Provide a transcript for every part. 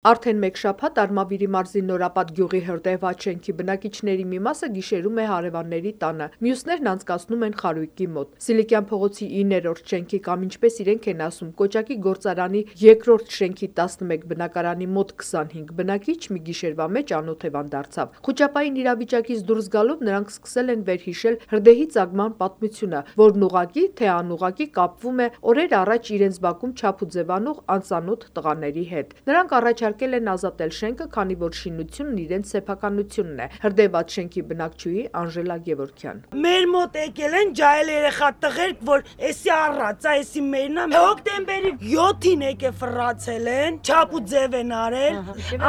Արդեն մեկ շաբաթ Արմավիրի մարզի Նորապատ գյուղի Հրդեհված շենքի բնակիչների մի մասը գիշերում է հարևանների տանը, մյուսներն անցկացնում են խարույկի մոտ։ Սիլիկյան փողոցի 9-րդ շենքի կամ ինչպես իրենք են ասում, Կոճակի գործարանի 2-րդ շենքի 11 բնակարանի մոտ 25 բնակիչ մի գիշերվա մեջ անօթևան դարձավ։ Խուճապային իրավիճակից դուրս գալով նրանք սկսել են վերհիշել Հրդեհի ծագման պատմությունը, որն ուղղակի թե անուղղակի կապվում է օրեր առաջ իրենց բակում չափ ու ձևանող անծանոթ տղաների հետ։ Նրանք առաջարկել են ազատել շենքը, քանի որ շինությունն իրենց սեփականությունն է։ Հրդեհված շենքի բնակչուհի Անժելա Գևորգյան: Մեր մոտ եկել են ջահել երեխա տղերք, որ էսի առածա, էսի մերնա, հոկտեմբերի 7-ին եկե ֆռացել են, չափ ու ձև են արել,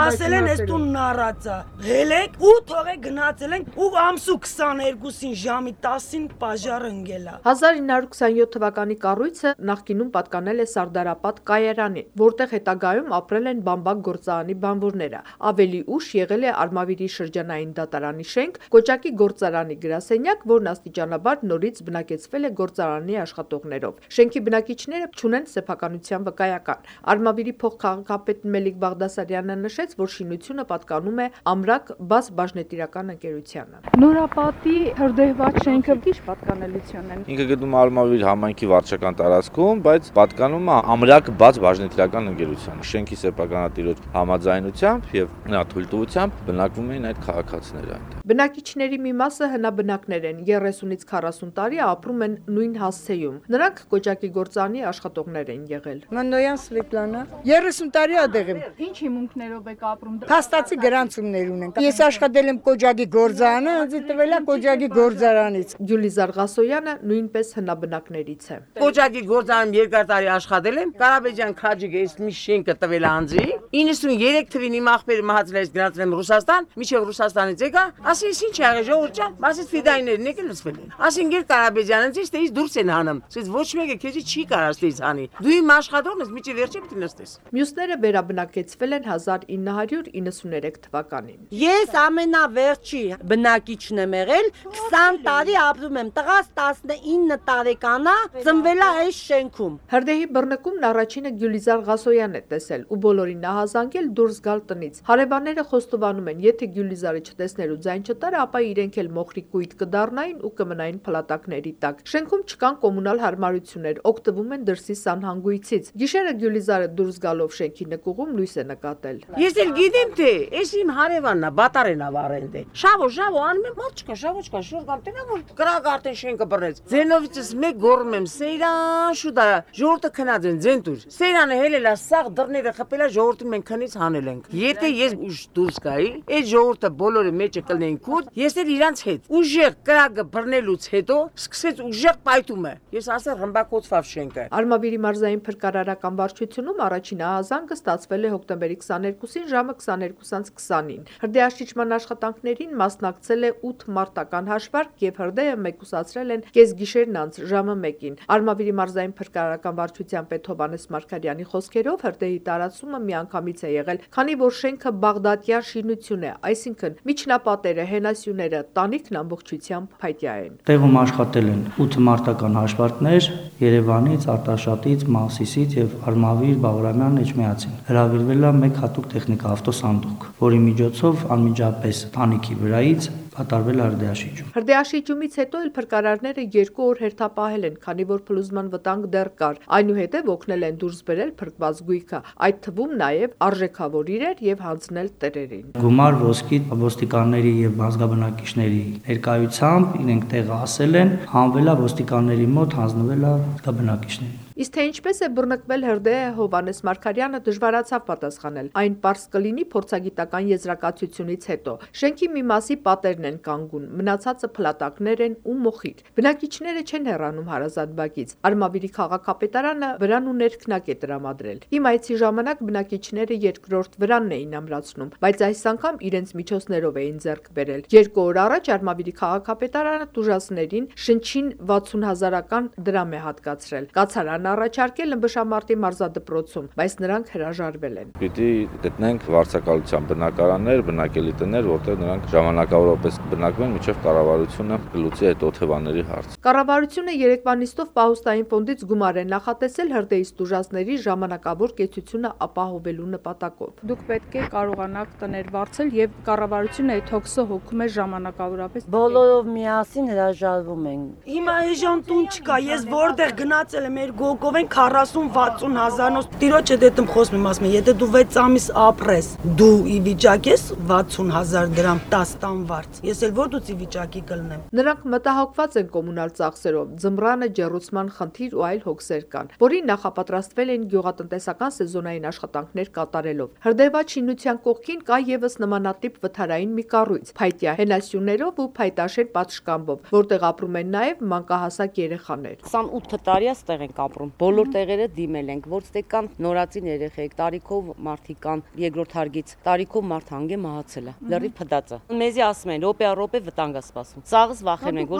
ասել են էս տունն առածա։ Հելեք ու թողեք գնացել են ու ամսու 22-ին ժամի 10-ին պաժարը ընկել է։ 1927 թվականի կառույցը նախկինում պատկանել է Սարդարապատ կայարանին, որտեղ հետագայում ապրել են բամբակ գործարանի բանվորները։ Ավելի ուշ եղել է Արմավիրի շրջանային դատարանի շենք, Կոճակի գործարանի գրասենյակ, որն աստիճանաբար նորից բնակեցվել է գործարանի աշխատողներով։ Շենքի բնակիչները չունեն սեփականության վկայական։ Արմավիրի փոխքաղաքապետ Մելիք Բաղդասարյանը նշեց, որ շինությունը պատկանում է Ամրակ բաց բաժնետիրական ընկերությանը։ Նորապատի Հրդեհված շենքը ի՞նչ պատկանելություն են։ Ինքը գտնվում է Արմավիր համայնքի վարչական տարածքում, բայց պատկանում է Ամրակ բաց բաժնետիրական ընկերությանը։ Շենքի սեփականատիրոջ համաձայնությամբ եւ նրա թույլտվությամբ բնակվում էին այդ քաղաքացիները այնտեղ։ Բնակիչների մի մասը հնաբնակներ են, 30-ից 40 տարի ապրում են նույն հասցեում։ Նրանք Կոճակի գործարանի աշխատողներ են եղել։ Մանոյան Սվետլանա 30 տարի ադեղ եմ։ Ինչ հիմունքներով եք ապրում։ Փաստացի գրանցումներ ունենք։ Ես աշխատել եմ Կոճակի գործարանը, ինձ տվել է Կոճակի գործարանից։ Գյուլիզար Ղասոյանը նույնպես հնաբնակներից է։ Կոճակի գործարանում երկար տարի աշխատել եմ, Կարաբեջյան Քաջիկը այս մի շենքը տվել է անձի։ 93 թվին իմ աղբերը մահացել է, գնացել եմ Ռուսաստան, միջև Ռուսաստանից եկա, ասի ինչ եղել ժողովուրդ ջան, մասից ֆիդայներն եկել լսվել են։ Ասին գեր Կարաբեջյանից ստեից դուրս են հանում։ Սից ոչ մեկը քեզի չի կարող ստեից հանի։ Դու իմ աշխատողն ես, միջև վերջը պիտի նստես։ Մյուսները վերաբնակեցվել են 1993 թվականին։ Ես ամենավերջի բնակիչն եմ եղել, 20 տարի ապրում եմ, տղաս 19 տարեկան է, ծնվել է այս շենքում։ Հրդեհի բռնկումն առաջինը Գյուլիզար Ղասոյանն է տեսել ու բոլորին նահազանգել դուրս գալ տնից։ Հարևանները խոստովանում են, եթե Գյուլիզարը չտեսներ ու ձայն չտար, ապա իրենք էլ մոխրի կույտ կդառնային ու կմնային փլատակների տակ։ Շենքում չկան կոմունալ հարմարություններ, օգտվում են դրսի սանհանգույցից։ Գիշերը Գյուլիզարը դուրս գալով շենքի նկուղում լույս է նկատել։ Ես էլ գիտեմ թե, այս իմ հարևանն է, բատարեն է վառել դե։ Շավո անում եմ, ոչ չկա, շուտ կամ տենա որ կրակ արդեն շենքը բռնեց։ Ձենովիցս մեկ գոռում եմ, Սեյրան շուտա, ժողովուրդը քնած են, ձեն տուր։ Սեյրանը հելել է, սաղ դռները խփել է, ժողովուրդին մենք քնից հանել ենք։ Եթե ես ուշ դուրս գայի, այդ ժողովուրդը բոլորը մեջը կլնեին կուտ, ես էլ իրանց հետ։ Ուժեղ կրակը բռնելուց հետո սկսեց ուժեղ պայթումը։ Ես ասել ռմբակոծվավ շենքը։ Արմավիրի մարզային փրկարարական վարչությունում առաջին ահազանգը ստացվել է հոկտեմբերի 22-ին ժամը 22:20-ին։ Հրդեհաշիջման աշխատանքներին մասնակցել է 8 մարտական հաշվարկ եւ հրդեհը մեկուսացրել են կեսգիշերն անց ժամը 1-ին։ Արմավիրի մարզային փրկարարական վարչության պետ Հովհաննես Մարգարյանի խոսքերով հրդեհի տարածումը միանգամից է եղել, քանի որ շենքը բաղդադյան շինություն է, այսինքն միջնապատերը, հենասյուները, տանիքն ամբողջությամբ փայտյա են։ Տեղում աշխատել են 8 մարտական հաշվարկներ Երևանից, Արտաշատից, Մասիսից եւ Արմավիր, Բաղրամյան, Էջմիածին։ Հրավիրվել է մեկ հատուկ տեխնիկա ավտոսանդուղք, որի միջոցով անմիջապես տանիքի վրայից կատարվել է հրդեհաշիջում։ Հրդեհաշիջումից հետո էլ փրկարարները 2 օր հերթապահել են, քանի որ փլուզման վտանգ դեռ կար։ Այնուհետև օգնել են դուրս բերել փրկված գույքը, այդ թվում նաև արժեքավոր իրեր եւ հանձնել տերերին։ Գումար ոսկի ոստիկանների եւ բազգաբնակիչների ներկայությամբ իրենք տեղը ասել են, հանվել է ոստիկանների մոտ, հանձնվել է բազգաբնակիչներին։ Իսկ թե ինչպես է բռնկվել հրդեհը, Հովհաննես Մարգարյանը դժվարացավ պատասխանել։ Այն պարզ կլինի փորձագիտական եզրակացությունից հետո։ Շենքի մի մասի պատերն են կանգուն, մնացածը փլատակներ են ու մոխիր։ Բնակիչները չեն հեռանում հարազատ բակից։ Արմավիրի քաղաքապետարանը վրան ու ներքնակ է տրամադրել։ Իմ այցի ժամանակ բնակիչները երկրորդ վրանն էին ամրացնում, բայց այս անգամ իրենց միջոցներով էին ձեռք բերել։ 2 օր առաջ Արմավիրի քաղաքապետարանը տուժածներին շնչին 60,000 դրամ է հատկացրել։ Կացարանը Սահակյանն առաջարկել ըմբշամարտի մարզադպրոցում, բայց նրանք հրաժարվել են։ Պիտի գտնենք վարձակալության բնակարաններ, բնակելի տներ, որտեղ նրանք ժամանակավորապես բնակվեն մինչև կառավարությունը կլուծի այդ օթևանների հարցը։ Կառավարությունը երեկվա նիստով պահուստային ֆոնդից գումար է նախատեսել հրդեհի տուժածների ժամանակավոր կեցությունը ապահովելու նպատակով։ Դուք պետք է կարողանաք տներ վարձել եւ կառավարությունը այդ հոգսը հոգում է ժամանակավորապես։ Բոլորով միասին հրաժարվում են։ Հիմա էժան տուն չկա, ես որտեղ գնացել եմ, մեր գոգով են 40-60 հազարնոց։ Տիրոջ հետ եմ խոսում, եմ ասում, եթե դու 6 ամիս ապրես, դու ի վիճակ ես 60,000 դրամ 10 տան վարձ։ Ես էլ որ դուց ի վիճակի կլնեմ։ Նրանք մտահոգված են կոմունալ ծախսերով, ձմռանը ջեռուցման խնդիր ու այլ հոգսեր կան, որին նախապատրաստվել են գյուղատնտեսական սեզոնային աշխատանքներ կատարելով։ Հրդեհված շինության կողքին կա եւս նմանատիպ վթարային մի կառույց, փայտյա հենասյուներով ու փայտաշեն պատշգամբով, որտեղ ապրում են նաեւ մանկահասակ երեխաներ։ 28 տարի է ստեղ ենք ապրում։ Բոլոր տեղերը դիմել ենք, որ ստեղ կան նորածին երեխեք, տարիքով մարդիկ կան, երկրորդ հարգից, տարիքով մարդ հանգե մահացել է։ Լրիվ փդած է։ Մեզի ասում են, րոպե վտանգ է սպասում։ Սաղս վախենում ենք,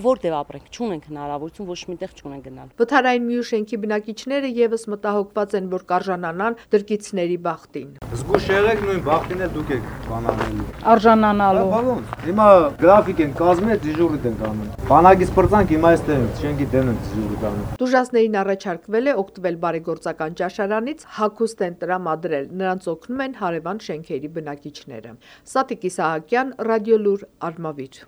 որտեղ ապրենք, չունենք հնարավորություն, ոչ միտեղ չունենք գնալ։ Վթարային մի շենքի բնակիչները եւս մտահոգված են, որ կարժանանան դրկիցների բախտին։ Զգուշ եղեք, նույն բախտին էլ դուք եք բանանելու։ Արժանանալու։ Հիմա գրաֆիկ են կազմել, դիժուրիտ են անում։ Բանակից պրծանք հիմա այստեղ ենք, շենքի դեմ ենք դիժուրիտ անում։ Տուժածներին առաջարկվել է օգտվել բարեգործական ճաշարանից, հագուստ են տրամադրել, նրանց օգնում են հարևան շենքերի բնակիչները։ Սատիկ Իսահակյան, Ռադիոլուր, Արմավիր։